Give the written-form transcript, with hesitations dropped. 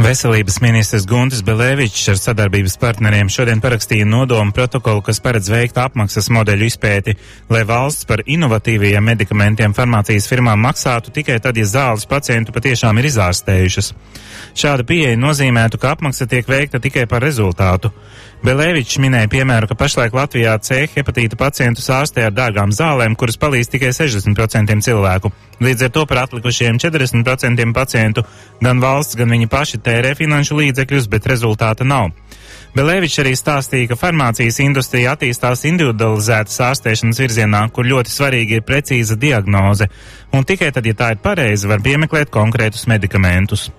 Veselības ministrs Guntis Belēvičs ar sadarbības partneriem šodien parakstīja nodomu protokolu, kas paredz veikt apmaksas modeļu izpēti, lai valsts par inovatīvajiem medikamentiem farmācijas firmām maksātu tikai tad, ja zāles pacientu patiešām ir izārstējušas. Šāda pieeja nozīmētu, ka apmaksa tiek veikta tikai par rezultātu. Belēvičs minēja piemēru, ka pašlaik Latvijā C hepatīta pacientus ārstē ar dārgām zālēm, kuras palīdz tikai 60% cilvēku. Līdz ar to par atlikušiem 40% pacientu gan valsts, gan viņi paši tērē finanšu līdzekļus, bet rezultāta nav. Belēvičs arī stāstīja, ka farmācijas industrija attīstās individualizētas ārstēšanas virzienā, kur ļoti svarīgi ir precīza diagnoze, un tikai tad, ja tā ir pareiza, var piemeklēt konkrētus medikamentus.